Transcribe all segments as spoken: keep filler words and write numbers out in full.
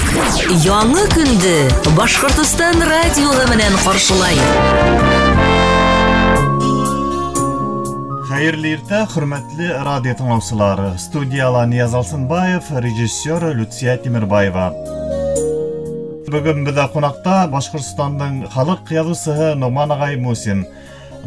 Яңы көндө Башҡортостан радиоһы менән ҡаршылай. Хәйерле иртә, хөрмәтле радио тыңлаусылар. Студияла Нияз Алсынбаев, режиссер Люция Тимербаева. Бөгөн беҙҙә ҡунаҡта Башҡортостандың халыҡ яҙыусыһы Ноғман ағай Мусин.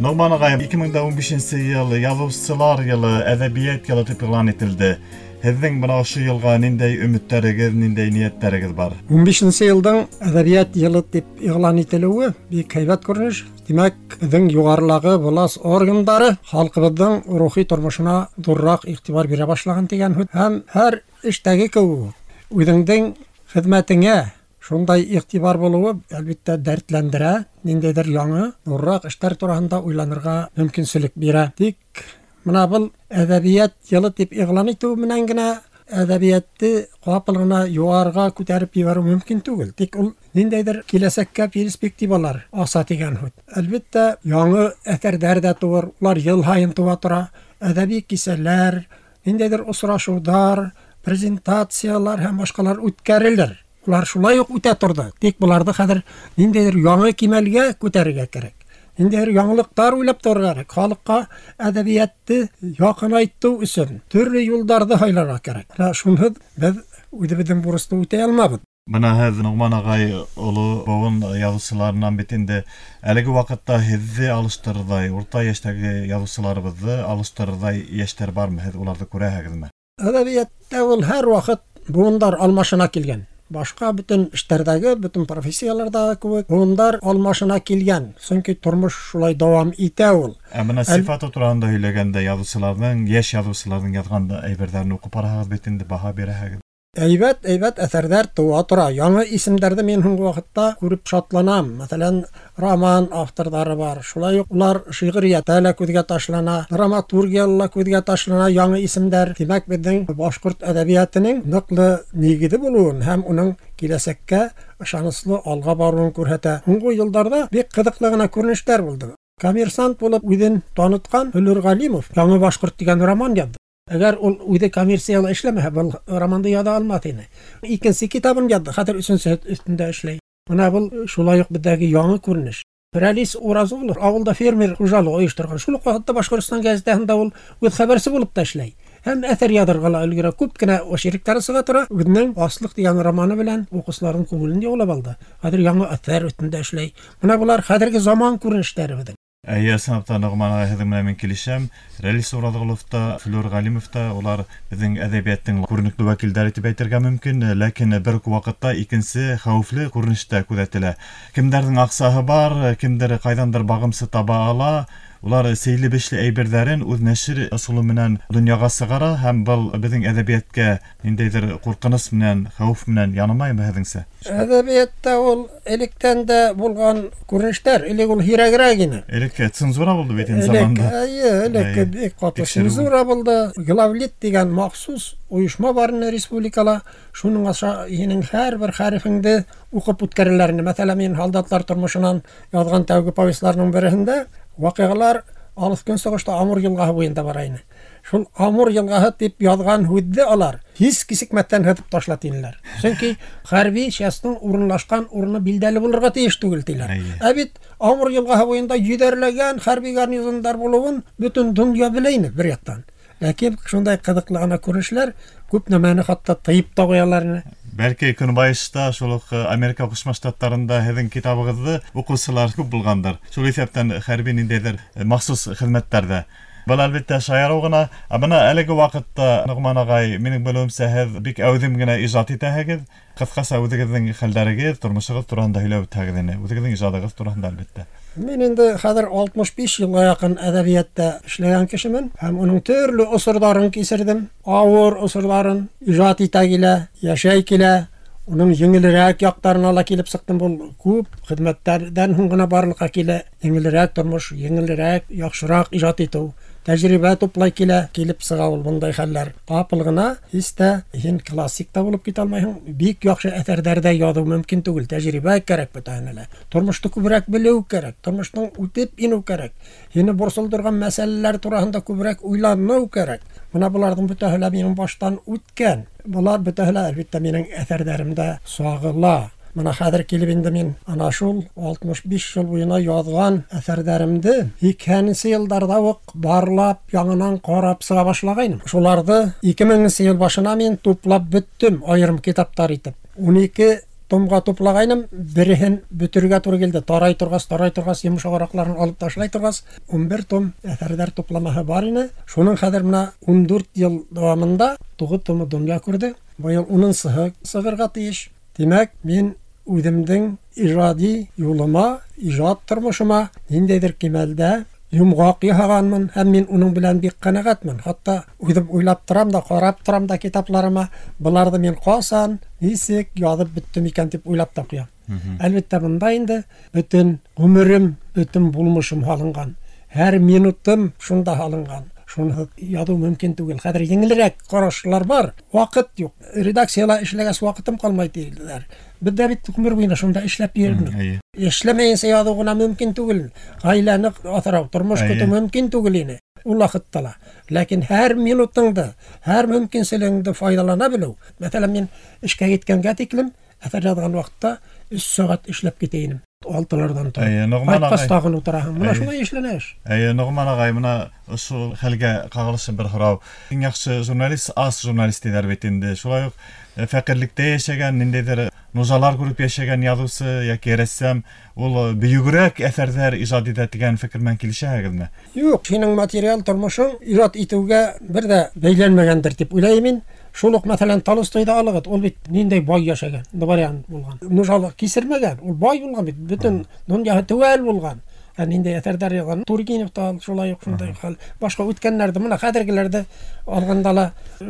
Ноғман ағай, ике мең ун бишенсе йыл яҙыусылар йылы, әҙәбиәт йылы тип иғлан ителде. Һеҙҙең бына ошо йылға ниндәй өмөттәрегеҙ, ниндәй ниәттәрегеҙ бар? Ун бишенсе йылдың әҙәбиәт йылы тип иғлан ителеүе бик һәйбәт күренеш. Тимәк, беҙҙең юғарылағы власть органдары халҡыбыҙҙың рухи тормошона ҙурыраҡ иғтибар бирә башлаған тигән һүҙ. Һәм һәр эштәге кеүек үҙеңдең хеҙмәтеңә шундай иғтибар булыуы әлбиттә дәртләндерә, ниндәйҙер яңы, ҙурыраҡ эштәр тураһында уйланырға мөмкинселек бирә. Тик мына был әҙәбиәт йылы тип иғлан итеү менән генә әҙәбиәтте ҡапыл ғына юғарыға күтәреп ебәреү мөмкин түгел. Тик ул ниндәйҙер киләсәккә перспективалар аса тигән һүҙ. Әлбиттә, яңы әҫәрҙәр ҙә тыуыр, улар йыл һайын тыуа тора. Әҙәби кисәләр, ниндәйҙер осрашыуҙар, презентациялар һәм башҡалар үткәрелер. Улар шулай уҡ үтә торҙо. Тик быларҙы хәҙер ниндәйҙер яңы кимәлгә күтәрергә кәрәк. Ниндәйҙер яңылыҡтар уйлап торорға кәрәк. Халыҡҡа әҙәбиәтте яҡынайтыу өсөн төрлө юлдарҙы һайларға кәрәк. Менә шунһыҙ беҙ үҙебеҙҙең бурысты үтәй алмабыҙ. Бына һеҙ, Ноғман ағай, оло быуын яҙыусыларынан бит инде әлеге ваҡытта һеҙҙе алыштырырҙай, урта йәштәге яҙыусыларыбыҙҙы алыштырырҙай йәштәр бармы? Һеҙ уларҙы күрәһегеҙме? Әҙәбиәттә ул һәр ваҡыт быуындар алмашына килгән. Башҡа бөтөн эштәрҙәге, бөтөн профессияларҙағы кеүек быуындар алмашына килгән. Сөнки тормош шулай дауам итә ул. Ә бына сифаты тураһында һөйләгәндә яҙыусыларҙың, йәш яҙыусыларҙың яҙған әйберҙәрен уҡып бараһығыҙ бит инде, баһа бирәһегеҙ. Әйбәт, әйбәт әҫәрҙәр тыуа тора. Яңы исемдәрҙе мин һуңғы ваҡытта күреп шатланам. Мәҫәлән, роман авторҙары бар. Шулай уҡ улар шиғриәттә лә күҙгә ташлана, драматургияла ла күҙгә ташлана яңы исемдәр. Тимәк, беҙҙең башҡорт әҙәбиәтенең ныҡлы нигеҙе булыуын һәм уның киләсәккә ышаныслы алға барыуын күрһәтә. Һуңғы йылдарҙа бик ҡыҙыҡлы ғына күренештәр булды. Коммерсант булып үҙен танытҡан Флүр Ғәлимов Яңы башҡорт тигән роман яҙҙы. Әгәр ул үҙе коммерсияла эшләмәһә, был романды яҙа алмаҫ ине. Икенсе китабын яҙҙы, хәҙер өсөнсө өҫтөндә эшләй. Бына был шулай уҡ беҙҙәге яңы күренеш. Рәлис Уразғолов ауылда фермер хужалығы ойошторған. Шул уҡ ваҡытта Башҡортостан гәзитәһендә ул үҙ хәбәрсе булып та эшләй. Һәм әҫәр яҙырға ла өлгөрә. Күп кенә очерктары сыға тора. Үҙенең Аслыҡ тигән романы белән уҡыусыларҙың күңелен яулап алды. Хәҙер яңы әҫәр өҫтөндә эшләй. Бына былар хәҙерге заман күренештәре беҙҙең. Әйе, ысынлап та, Ноғман ағай, һеҙҙең менән мин килешәм. Рәлис Ураҙғолов та, Флүр Ғәлимов та, улар беҙҙең әҙәбиәттең күренекле вәкилдәре тип әйтергә мөмкин, ләкин бер үк ваҡытта икенсе хәүефле күренеш тә күҙәтелә. Кемдәрҙең аҡсаһы бар, кемдәр ҡайҙандыр бағымсы таба ала, улар сейле-бишле әйберҙәрен үҙ нәшер ысулы менән донъяға сығара, һәм был беҙҙең әҙәбиәткә ниндәйҙер ҡурҡыныс менән, хәүеф менән янамаймы һеҙҙеңсә? Әҙәбиәттә ул электән дә булған күренештәр, элек ул һирәгерәк ине. Элек цензура булды бит инде заманда. Әйе, элек бик ҡаты цензура булды. Главлит тигән махсус ойошма бар ине республикала. Шуның аша һинең һәр бер хәрефеңде уҡып үткәрәләр ине. Мәҫәлән, мин һалдатлар тормошонан яҙған тәүге повестьларның береһендә ваҡиғалар алыҫ көнсығышта Амур йылғаһы буйында бара ине. Шул Амур йылғаһы тип яҙған һүҙҙе алар һис кисекмәҫтән һыҙып ташлат инеләр. Сөнки хәрби частың урынлашҡан урыны билдәле булырға тейеш түгел тиләр. Ә бит Амур йылғаһы буйында йөҙәрләгән хәрби гарнизондар булыуын бөтөн донъя белә ине бер яҡтан. Ләкин шундай ҡыҙыҡлы ғына күренешләр күп нәмәне хатта тыйып та ҡуялар ине. Бәлки Көнбайышта, шул уҡ Америка Ҡушма Штаттарында һеҙҙең китабығыҙҙы уҡыусылар күп булғандар. Шул иҫәптән хәрби ниндәйҙер махсус хеҙмәттәрҙә. Был әлбиттә шаярыу ғына. Ә бына әлеге ваҡытта, Ноғман ағай, минең белеүемсә, һеҙ бик әүҙем генә ижад итәһегеҙ. Ҡыҫҡаса үҙегеҙҙең хәлдәрегеҙ, тормошоғоҙ тураһында һөйләп үтһәгеҙ ине. Үҙегеҙҙең ижадығыҙ тураһында әлбиттә. Мин инде хәҙер алтмыш биш йылға яҡын әҙәбиәттә эшләгән кешемен һәм уның төрлө осорҙарын кисерҙем. Ауыр осорҙарын ижад итә килә, йәшәй килә. Уның еңелерәк яҡтарына ла килеп сыҡтым. Был күп хеҙмәттәрҙән һуң ғына барлыҡҡа килә. Еңелерәк тормош, еңелерәк, яҡшыраҡ ижад итеү, тәжрибә туплай килә, килеп сыға ул бындай хәлләр. Ҡапыл ғына һис тә һин классик та булып китә алмайһың, бик яҡшы әҫәрҙәр ҙә яҙыу мөмкин түгел. Тәжрибә кәрәк бөтәһенә лә. Тормошто күберәк белеү кәрәк, тормоштоң үтеп инеү кәрәк. Һине борсолдорған мәсьәләләр тураһында күберәк уйланыу кәрәк. Мына быларҙың бөтәһе лә минең баштан үткән. Былар бөтәһе лә әлбиттә минең әҫәрҙәремдә сағыла. Мына хәҙер килеп инде мин ана шул алтмыш биш йыл буйына яҙған әҫәрҙәремде һикһәненсе йылдарҙа уҡ барлап, яңынан ҡарап сыға башлағайным. Шуларҙы ике меңенсе йыл башына мин туплап бөттөм, айырым китаптар итеп. Ун ике томға туплағайным, береһен бөтөргә тура килде. Тарай торғас, тарай торғас, йомшағыраҡларын алып ташлай торғас, ун бер том әҫәрҙәр тупламаһы бар ине. Шуның хәҙер мына ун дүрт йыл дауамында туғыҙ томы донъя күрҙе. Быйыл унынсыһы сығырға тейеш. Тимәк, мин үҙемдең ижади юлыма, ижад тормошома ниндәйҙер кимәлдә йомғаҡ яһағанмын һәм мин уның белән бик ҡәнәғәтмен. Хатта үҙем уйлап торам да, ҡарап торам да китапларыма, быларҙы мин ҡасан, нисек яҙып бөттөм икән тип уйлап та ҡуям. Әлбиттә, бында инде бөтөн ғүмерем, бөтөн булмышым һалынған. Һәр минутым шунда һалынған. Шуны яҙыу мөмкин түгел. Хәҙер еңелерәк ҡарашлар бар. Ваҡыт юҡ. Редакцияла эшләгәс ваҡытым ҡалмай тиҙәр. Беҙ ҙә бит ғүмер буйына шунда эшләп йөрөнөк. Эшләмәйенсә яҙыу ғына мөмкин түгел. Ғаиләне аҫрау, тормош көтөү мөмкин түгел ине ул ваҡытта ла. Ләкин һәр минутыңды, һәр мөмкинселегеңде файҙалана белеү. Мәҫәлән, мин эшкә киткәнгә тиклем әҫәр яҙған ваҡытта өс сәғәт эшләп китә инем. Алтыларҙан тороп. Ҡайтҡас тағын ултыраһың. Мына шулай эшләнә эш. Эйе, Ноғман ағай, мына ошо хәлгә ҡағылышы бер һорау. Иң яҡшы журналист ас журналист тиҙәр бит инде. Шулай уҡ фәҡирлектә йәшәгән, ниндәйҙер нужалар күреп йәшәгән яҙыусы йәки рәссам ул бөйөгөрәк әҫәрҙәр ижад итә тигән фекер менән килешәһегеҙме? Юҡ, һинең материал тормошоң ижад итеүгә бер ҙә бәйләнмәгәндер тип уйлайым мин. Шул уҡ, мәҫәлән, Толстойҙы алығыҙ, ул бит ниндәй бай йәшәгән, дворян булған. Нужалыҡ кисермәгән, ул бай булған бит, бөтөн донъяһы теүәл булған. Ә ниндәй әҫәрҙәр яҙған. Тургенев та шулай уҡ шундай хәл. Башҡа үткәннәрҙе, мына хәҙергеләрҙе алғанда ла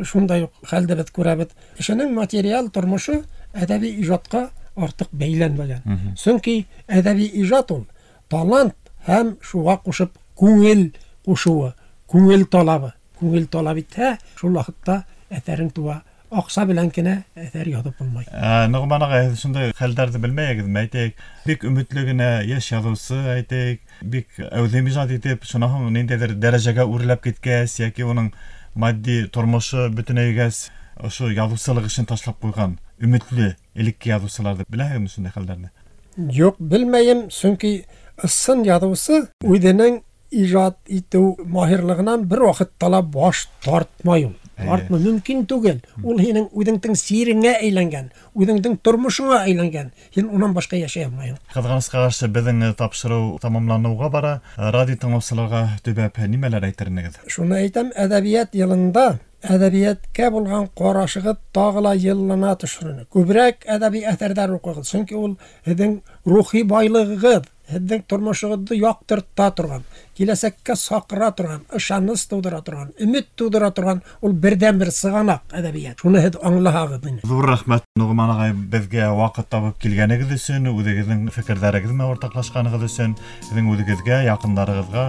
шундай уҡ хәлде беҙ күрәбеҙ. Кешенең материал тормошо әҙәби ижадҡа артыҡ бәйләнмәгән. Сөнки әҙәби ижад ул талант һәм шуға ҡушып күңел ҡушыуы, күңел талабы. Күңел талап итһә, шул ваҡытта әҫәрең туа. Аҡса белән генә әҫәр яҙып булмай. Ноғман ағай, һеҙ шундай хәлдәрҙе белмәйһегеҙме? Әйтәйек, бик өмөтлө генә йәш яҙыусы, әйтәйек, бик әүҙем ижад итеп, шунан һуң ниндәйҙер дәрәжәгә үрләп киткәс, йәки уның матди тормошо бөтөнәйгәс, ошо яҙыусылыҡ эшен ташлап ҡуйған өмөтлө элекке яҙыусыларҙы беләһегеҙме шундай хәлдәрҙе? Юҡ, белмәйем, сөнки ысын яҙыусы үҙенең ижад итеү маһирлығынан бер ваҡытта ла баш тартмай ул. Тартмай мөмкин түгел. Ул һинең үҙеңдең сиреңә әйләнгән, үҙеңдең тормошоңа әйләнгән. Һин унан башҡа йәшәй алмайһың. Ҡыҙғанысҡа ҡаршы, беҙҙең тапшырыу тамамланыуға бара. Радио тыңлаусыларға төбәп нимәләр әйтер инегеҙ? Шуны әйтәм, әҙәбиәт йылында әҙәбиәткә булған ҡарашығыҙ тағы ла йыллана төшөрөнө. Күберәк әҙәби әҫәрҙәр уҡығыҙ, сөнки ул һеҙҙең рухи байлығығыҙ, һеҙҙең тормошоғоҙҙо яҡтырта торған, киләсәккә саҡыра торған, ышаныс тыуҙыра торған, өмөт тыуҙыра торған ул берҙән-бер сығанаҡ әҙәбиәт. Шуны һеҙ аңлаһағыҙ ине. Ҙур рәхмәт, Ноғман ағай, беҙгә ваҡыт табып килгәнегеҙ өсөн, үҙегеҙҙең фекерҙәрегеҙ менән уртаҡлашҡанығыҙ өсөн, һеҙҙең үҙегеҙгә, яҡындарығыҙға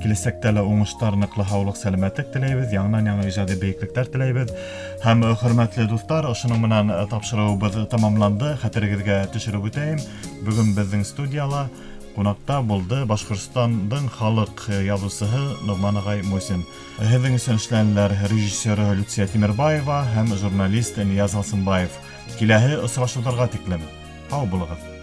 киләсәктә лә уңыштар, ныҡлы һаулыҡ, сәләмәтлек теләйбеҙ, яңынан-яңы ижади бейеклектәр теләйбеҙ. Һәм хөрмәтле дуҫтар, ошоноң менән тапшырыуыбыҙ тамамланды. Хәтерегеҙгә төшөрөп үтәйем. Бөгөн беҙҙең студияла ҡунаҡта булды Башҡортостандың халыҡ яҙыусыһы Ноғман ағай Мусин. Һеҙҙең өсөн эшләнеләр режиссеры Люция Тимербаева һәм журналист Нияз Алсынбаев. Киләһе осрашыуҙарға тиклем һау булығыҙ.